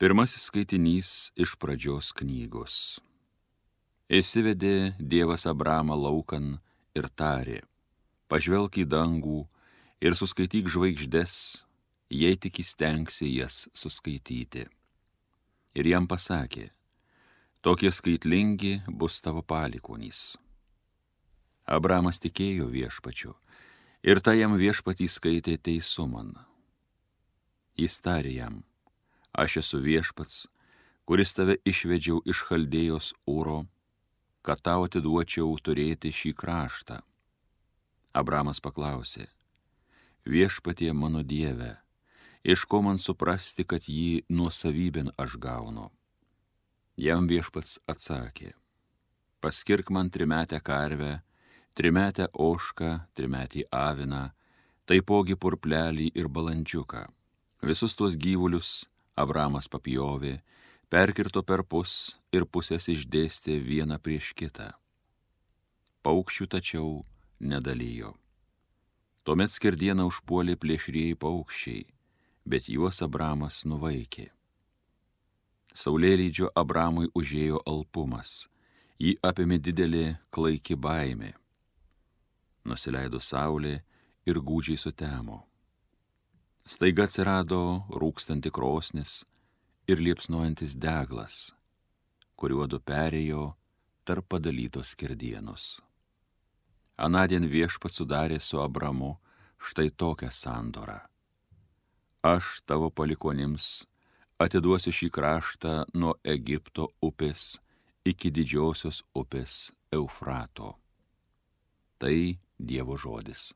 Pirmasis skaitinys iš pradžios knygos. Įsivedė Dievas Abramą laukan ir tarė: pažvelk į dangų ir suskaityk žvaigždes, jei tik įstengsi jas suskaityti. Ir jam pasakė: tokie skaitlingi bus tavo palikuonys. Abramas tikėjo viešpačiu, ir tai jam viešpatį skaitė teisuman. Jis tarė jam: aš esu viešpats, kuris tave išvedžiau iš Chaldėjos Ūro, kad tau atiduočiau turėti šį kraštą. Abramas paklausė: viešpatie mano Dieve, iš ko man suprasti, kad jį nuosavybėn aš gaunu? Jam viešpats atsakė: paskirk man trimetę karvę, trimetę ožką, trimetį aviną, taipogi purplelį ir balandžiuką. Visus tuos gyvulius Abramas papjovė, perkirto perpus ir pusės išdėstė vieną prieš kitą. Paukščių tačiau nedalijo. Tuomet skerdieną užpuolė plėšrieji paukščiai, bet juos Abramas nuvaikė. Saulėlydžio Abramui užėjo alpumas, jį apėmė didelė klaiki baimė. Nusileido saulė ir gūdžiai sutemo. Staiga atsirado rūkstanti krosnis ir liepsnojantis deglas, kuriuodu perėjo tarp padalytos skerdienos. Anadien viešpats sudarė su Abramu štai tokią sandorą: aš tavo palikuonims atiduosiu šį kraštą nuo Egipto upės iki didžiosios upės Eufrato. Tai Dievo žodis.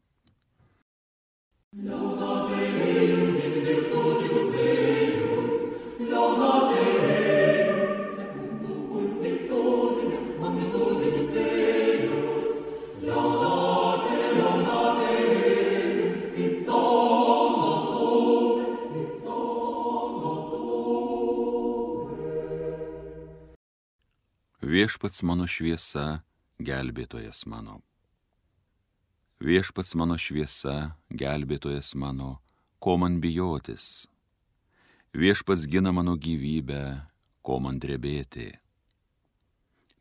Viešpats mano šviesa, gelbėtojas mano. Viešpats mano šviesa, gelbėtojas mano, ko man bijotis? Viešpats gina mano gyvybę, ko man drebėti?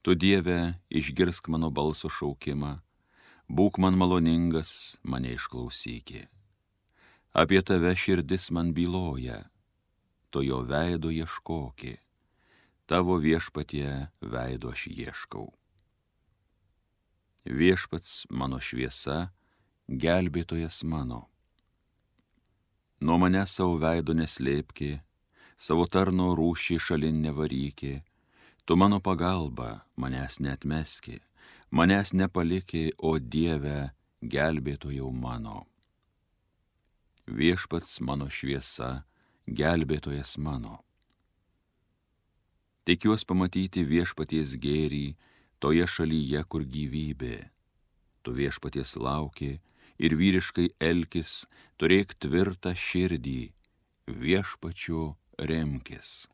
Tu, Dieve, išgirsk mano balso šaukimą, būk man maloningas, mane išklausyki. Apie tave širdis man byloja, tu jo veido ieškoki, tavo viešpatie veido aš ieškau. Viešpats mano šviesa, gelbėtojas mano. Nuo mane savo veido neslėpki, savo tarno rūšį šalin nevaryki, tu mano pagalba, manęs neatmeski, manęs nepaliki, o Dieve, gelbėtojau mano. Viešpats mano šviesa, gelbėtojas mano. Tikiuos pamatyti viešpaties gėrį toje šalyje, kur gyvybė. Tu viešpaties lauki ir vyriškai elkis, turėk tvirtą širdį, viešpačiu remkis.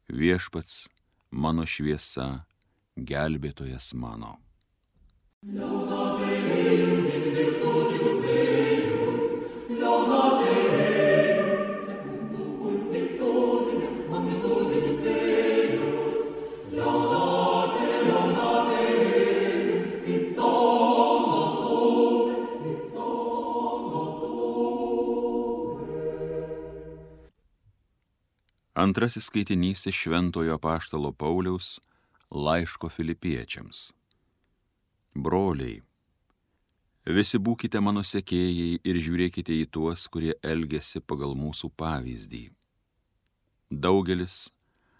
Viešpats mano šviesa, gelbėtojas mano. Antrasis skaitinys iš Šventojo apaštalo Pauliaus laiško Filipiečiams. Broliai, visi būkite mano sekėjai ir žiūrėkite į tuos, kurie elgiasi pagal mūsų pavyzdį. Daugelis,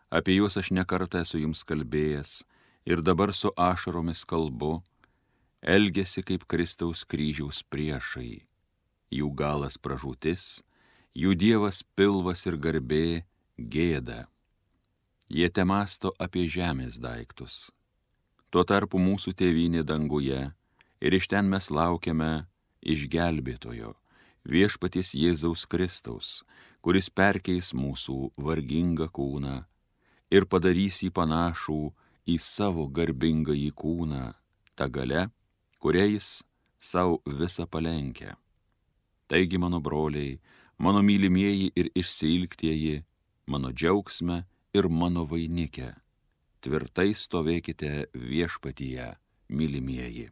apie juos aš nekartą esu jums kalbėjęs ir dabar su ašaromis kalbu, elgiasi kaip Kristaus kryžiaus priešai. Jų galas pražūtis, jų dievas pilvas ir garbė, gėda. Jie temasto apie žemės daiktus. Tuo tarpu mūsų tėvynė danguje ir iš ten mes laukiame išgelbėtojo, viešpaties Jėzaus Kristaus, kuris perkeis mūsų vargingą kūną ir padarys jį panašų į savo garbingąjį kūną, ta galia, kuria jis savo visą palenkia. Taigi, mano broliai, mano mylimieji ir išsiilgtieji, mano džiaugsme ir mano vainike. Tvirtai stovėkite viešpatyje, mylimieji.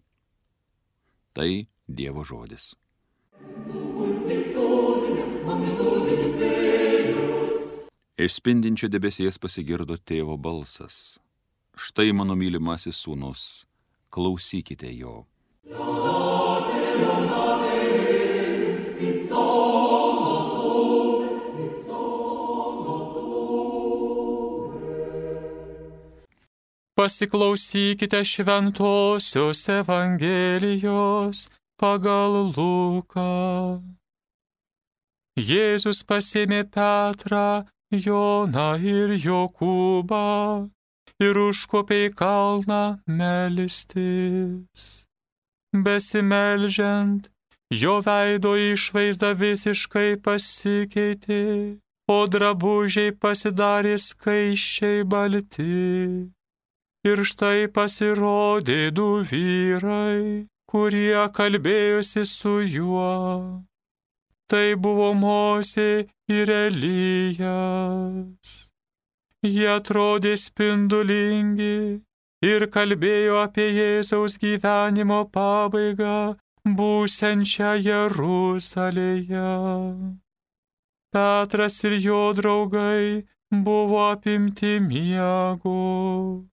Tai Dievo žodis. Iš spindinčio debesies pasigirdo tėvo balsas. Štai mano mylimasis sūnus, klausykite jo. Pasiklausykite šventosios Evangelijos pagal Luką. Jėzus pasėmė Petrą, Joną ir Jokūbą ir užkopė į kalną melstis. Besimeldžiant, jo veido išvaizda visiškai pasikeitė, o drabužiai pasidarė skaisčiai balti. Ir štai pasirodė du vyrai, kurie kalbėjosi su juo. Tai buvo Mozė ir Elijas. Jie atrodė spindulingi ir kalbėjo apie Jėzaus gyvenimo pabaigą, būsiančią Jeruzalėje. Petras ir jo draugai buvo apimti miego.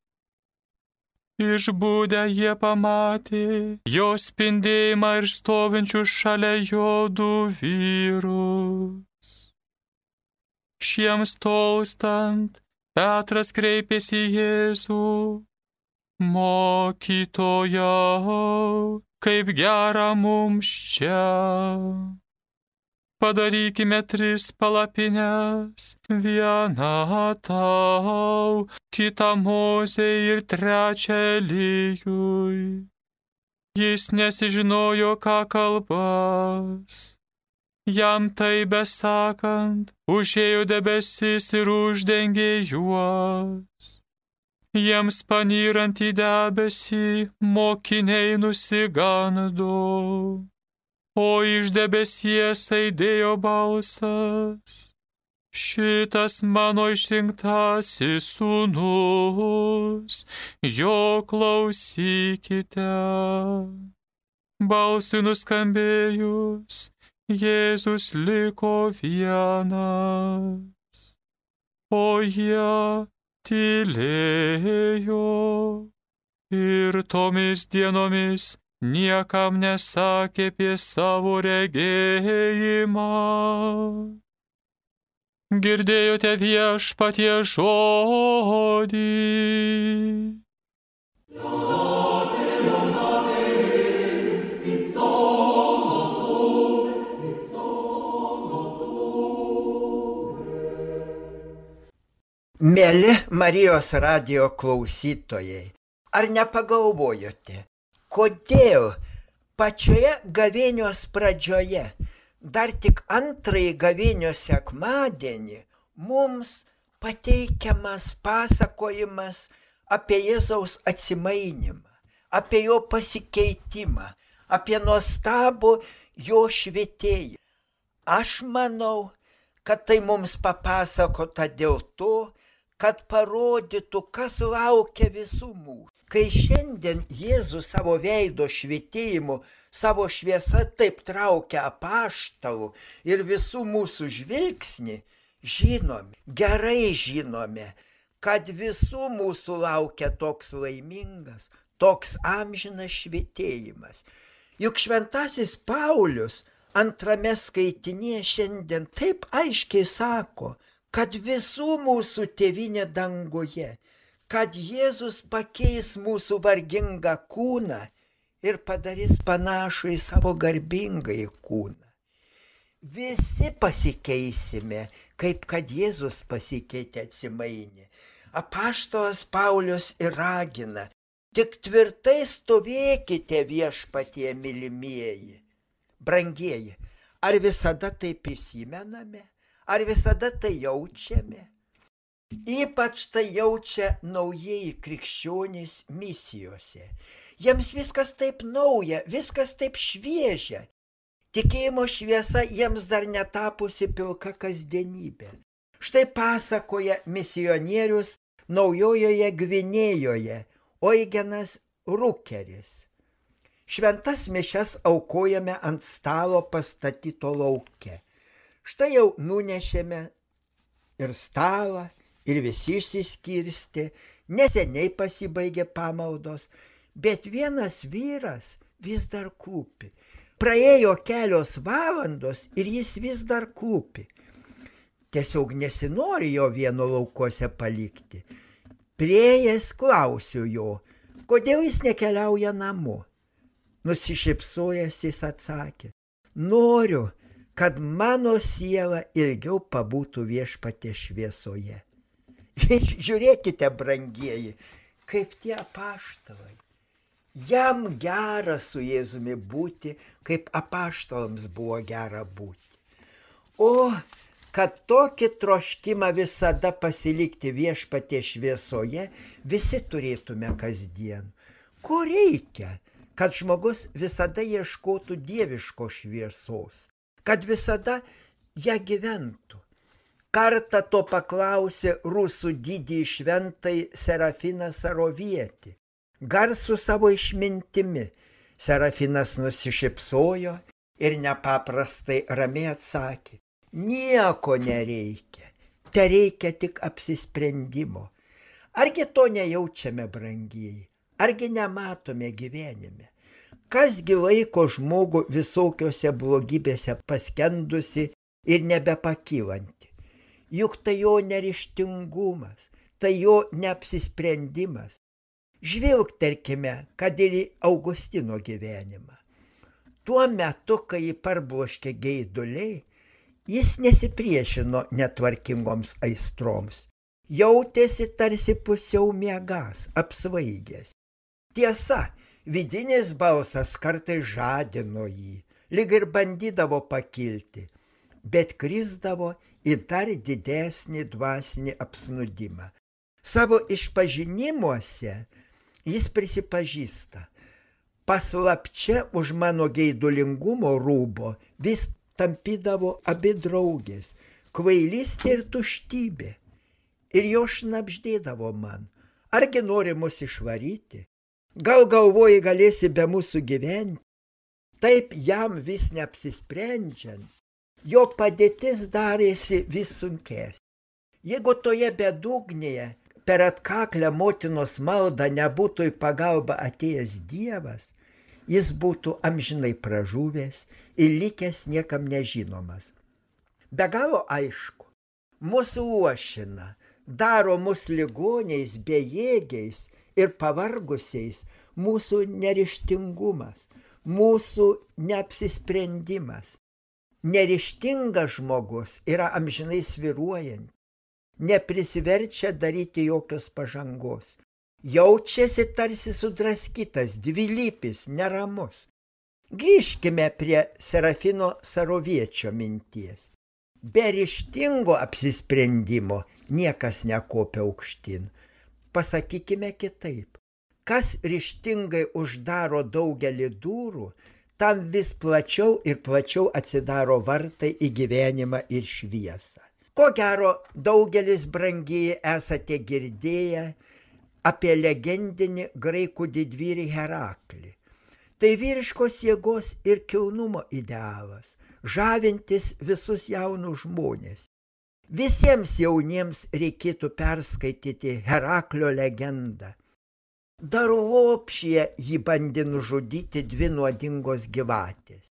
Išbudę jie pamatė jo spindėjimą ir stovinčius šalia jo du vyrus. Šiems tolstant, Petras kreipėsi į Jėzų: Mokytojau, kaip gera mums čia. Padarykime 3 palapines, vieną tau, kitą Mozei ir 3 Elijui. Jis nesižinojo, ką kalbas. Jam tai besakant, užėjo debesis ir uždengė juos. Jiems panyrant į debesį, mokiniai nusigando. O iš debesies aidėjo balsas: Šitas mano išrinktasis sūnus, jo klausykite. Balsui nuskambėjus, Jėzus liko vienas, o jie tylėjo ir tomis dienomis niekam nesakė apie savo regėjimą. Girdėjote Viešpaties žodį. Mieli Marijos radijo klausytojai, ar nepagalvojote, kodėl pačioje gavėnios pradžioje, dar tik antrąjį gavėnios sekmadienį, mums pateikiamas pasakojimas apie Jėzaus atsimainimą, apie jo pasikeitimą, apie nuostabų jo švietėjimą? Aš manau, kad tai mums papasakota dėl to, kad parodytų, kas laukia visų mūsų. Kai šiandien Jėzus savo veido švietėjimu, savo šviesa taip traukia apaštalų ir visų mūsų žvilgsnį, žinome, gerai žinome, kad visų mūsų laukia toks laimingas, toks amžinas švietėjimas. Juk šventasis Paulius antrame skaitinėje šiandien taip aiškiai sako, kad visų mūsų tėvynė danguje, kad Jėzus pakeis mūsų vargingą kūną ir padarys panašų į savo garbingąjį kūną. Visi pasikeisime, kaip kad Jėzus pasikeitė, atsimainė. Apaštalas Paulius ir ragina: tik tvirtai stovėkite Viešpatie, mylimieji. Brangieji, ar visada tai prisimename? Ar visada tai jaučiame? Ypač tai jaučia naujieji krikščionys misijose. Jiems viskas taip nauja, viskas taip šviežia. Tikėjimo šviesa jiems dar netapusi pilka kasdienybė. Štai pasakoja misionierius Naujojoje Gvinėjoje Eugenas Rukeris. Šventas mišias aukojame ant stalo pastatyto lauke. Štai jau nunešėme ir stalą, ir visi išsiskirstė, neseniai pasibaigė pamaldos, bet vienas vyras vis dar klūpi. Praėjo kelios valandos ir jis vis dar klūpi. Tiesiog nesinori jo vieno laukuose palikti. Priėjęs klausiu jo, kodėl jis nekeliauja namo. Nusišypsojęs jis atsakė, noriu, kad mano siela ilgiau pabūtų Viešpaties šviesoje. Žiūrėkite, brangieji, kaip tie apaštalai. Jam gera su Jėzumi būti, kaip apaštalams buvo gera būti. O kad tokį troškimą visada pasilikti Viešpaties šviesoje, visi turėtume kasdien. Ko reikia? Kad žmogus visada ieškotų dieviškos šviesos, kad visada ją gyventų. Kartą to paklausė rusų didįjį šventąjį Serafiną Sarovietį. Garsų savo išmintimi Serafinas nusišypsojo ir nepaprastai ramiai atsakė, nieko nereikia, tereikia tik apsisprendimo. Argi to nejaučiame, brangieji? Argi nematome gyvenime? Kasgi laiko žmogų visokiose blogybėse paskendusi ir nebepakylanti? Juk tai jo neryžtingumas, tai jo neapsisprendimas. Žvilgterkime, kad ir į Augustino gyvenimą. Tuo metu, kai jį parbloškė geiduliai, jis nesipriešino netvarkingoms aistroms. Jautėsi tarsi pusiau miegas, apsvaigęs. Tiesa, vidinis balsas kartais žadino jį, lyg ir bandydavo pakilti, bet krisdavo į dar didesnį dvasinį apsnudimą. Savo išpažinimuose jis prisipažįsta, paslapčia už mano geidulingumo rūbo vis tampydavo abi draugės, kvailystė ir tuštybė, ir jo šnabždėdavo man, argi nori mus išvaryti? Gal galvoji, galėsi be mūsų gyventi? Taip jam vis neapsisprendžiant, jo padėtis darėsi vis sunkesnė. Jeigu toje bedugnėje per atkaklę motinos maldą nebūtų į pagalbą atėjęs Dievas, jis būtų amžinai pražuvęs ir likęs niekam nežinomas. Be galo aišku, mūsų luošina, daro mus ligoniais, bejėgiais ir pavargusiais mūsų neryžtingumas, mūsų neapsisprendimas. Neryžtingas žmogus yra amžinai svyruojant, neprisiverčia daryti jokios pažangos, jaučiasi tarsi sudraskytas, dvilypis, neramus. Grįžkime prie Serafino Saroviečio minties. Be ryžtingo apsisprendimo niekas nekopia aukštyn. Pasakykime kitaip, kas ryžtingai uždaro daugelį durų, tam vis plačiau ir plačiau atsidaro vartai į gyvenimą ir šviesą. Ko gero, daugelis brangieji esate girdėję apie legendinį graikų didvyrį Heraklį. Tai vyriškos jėgos ir kilnumo idealas, žavintis visus jaunus žmonės. Visiems jauniems reikėtų perskaityti Heraklio legendą. Dar lopšyje jį bandė nužudyti dvi nuodingos gyvatės,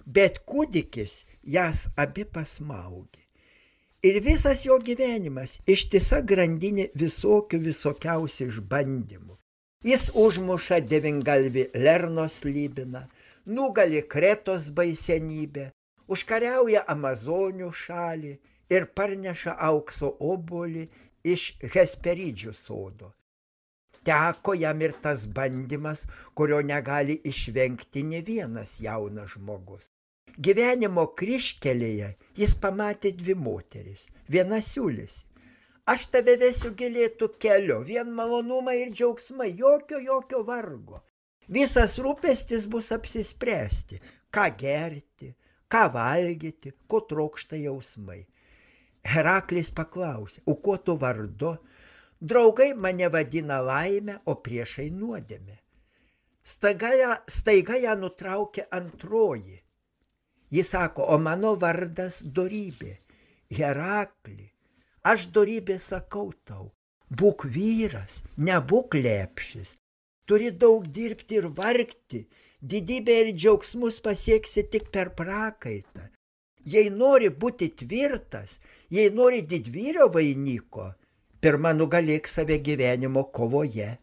bet kūdikis jas abi pasmaugė. Ir visas jo gyvenimas ištisa grandinė visokiausių išbandymų. Jis užmuša devyngalvį Lernos slybiną, nugali Kretos baisenybę, užkariauja Amazonių šalį ir parneša aukso obuolį iš Hesperidžių sodo. Teko jam ir tas bandymas, kurio negali išvengti ne vienas jaunas žmogus. Gyvenimo kryžkelėje jis pamatė dvi moteris. Viena siūlėsi: aš tave vesiu gilėtų keliu, vien malonumai ir džiaugsmai, jokio vargo. Visas rūpestis bus apsispręsti, ką gerti, ką valgyti, ko trokšta jausmai. Heraklis paklausė, o kuo tu vardu? Draugai mane vadina laimę, o priešai nuodėmę. Staiga ją nutraukė antroji. Jis sako, o mano vardas dorybė. Herakli, aš dorybė sakau tau, būk vyras, nebūk lepšis. Turi daug dirbti ir vargti, didybę ir džiaugsmus pasieksi tik per prakaitą. Jei nori būti tvirtas, jei nori didvyrio vainiko, pirma nugalėk save gyvenimo kovoje.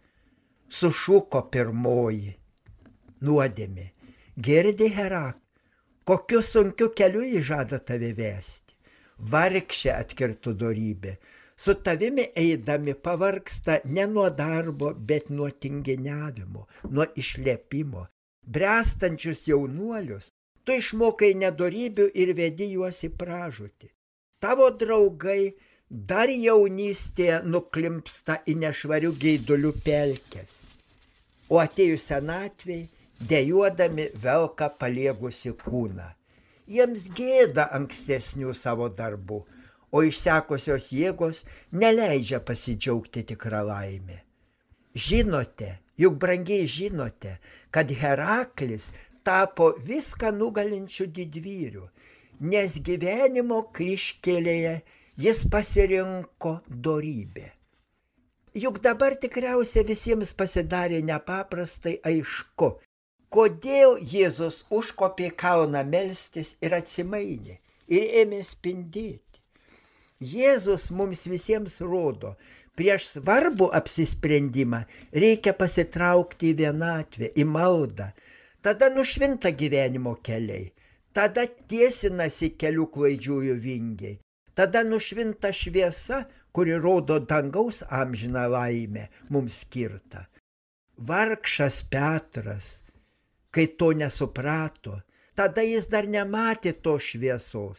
Sušuko pirmoji. Nuodėmė. Girdi, Herakli, kokiu sunkiu keliu jį žada tave vesti. Vargšė, atkirto dorybė. Su tavimi eidami pavargsta ne nuo darbo, bet nuo tinginiavimo, nuo išlepimo. Bręstančius jaunuolius tu išmokai nedorybių ir vedi juos į pražūtį. Tavo draugai dar jaunystėje nuklimpsta į nešvarių geidulių pelkes, o atėjus senatvei dejuodami velka paliegusi kūną. Jiems gėda ankstesnių savo darbų, o išsekusios jėgos neleidžia pasidžiaugti tikrą laimę. Žinote, juk brangiai žinote, kad Heraklis tapo viską nugalinčių didvyrių, nes gyvenimo kryžkelėje jis pasirinko dorybę. Juk dabar tikriausiai visiems pasidarė nepaprastai aišku, kodėl Jėzus užkopė kalną melstis ir atsimainė ir ėmė spindėti. Jėzus mums visiems rodo, prieš svarbų apsisprendimą reikia pasitraukti į vienatvę, į maldą. Tada nušvinta gyvenimo keliai, tada tiesinasi kelių klaidžiųjų vingiai, tada nušvinta šviesa, kuri rodo dangaus amžiną laimę mums skirtą. Vargšas Petras, kai to nesuprato, tada jis dar nematė to šviesos,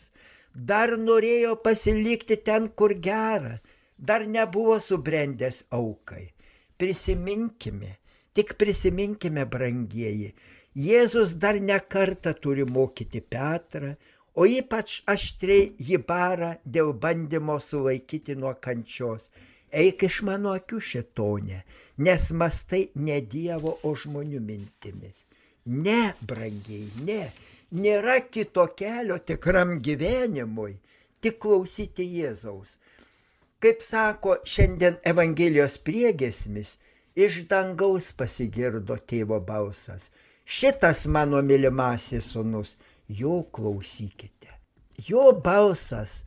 dar norėjo pasilikti ten, kur gera, dar nebuvo subrendęs aukai. Prisiminkime, tik prisiminkime, brangieji, Jėzus dar ne kartą turi mokyti Petrą, o ypač aštriai jį bara dėl bandymo sulaikyti nuo kančios. Eik iš mano akių, šėtone, nes mastai ne Dievo, o žmonių mintimis. Ne, brangiai, ne, nėra kito kelio tikram gyvenimui, tik klausyti Jėzaus. Kaip sako šiandien Evangelijos priegiesmis, iš dangaus pasigirdo tėvo balsas. Šitas mano mylimasis sūnus, jo klausykite. Jo balsas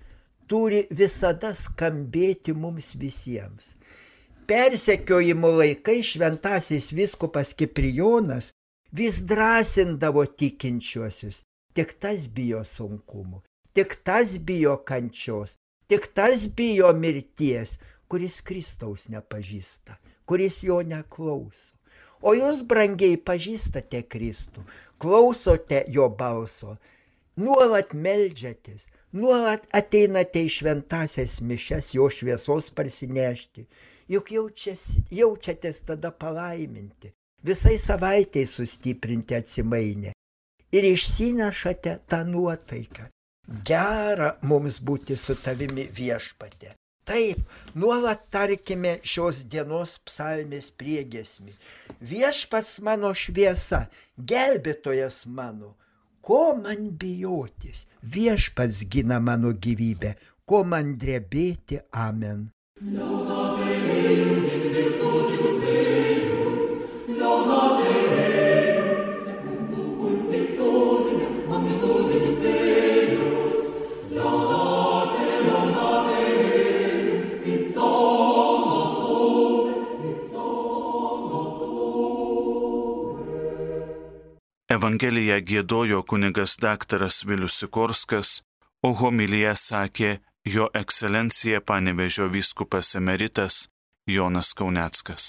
turi visada skambėti mums visiems. Persekiojimo laikai šventasis vyskupas Kiprijonas vis drąsindavo tikinčiuosius. Tik tas bijo sunkumų, tik tas bijo kančios, tik tas bijo mirties, kuris Kristaus nepažįsta, kuris jo neklauso. O jūs, brangiai, pažįstate Kristų, klausote jo balso, nuolat meldžiatės, nuolat ateinate į šventasias mišias jo šviesos parsinešti, juk jaučiatės tada palaiminti, visai savaitei sustiprinti atsimainę ir išsinešate tą nuotaiką. Gera mums būti su tavimi, Viešpatie. Taip, nuolat tarkime šios dienos psalmės priegiesmį. Viešpats mano šviesa, gelbėtojas mano, ko man bijotis? Viešpats gina mano gyvybę, ko man drebėti, amen. Evangeliją giedojo kunigas daktaras Vilius Sikorskas, o homiliją sakė jo ekscelencija Panevėžio vyskupas emeritas Jonas Kauneckas.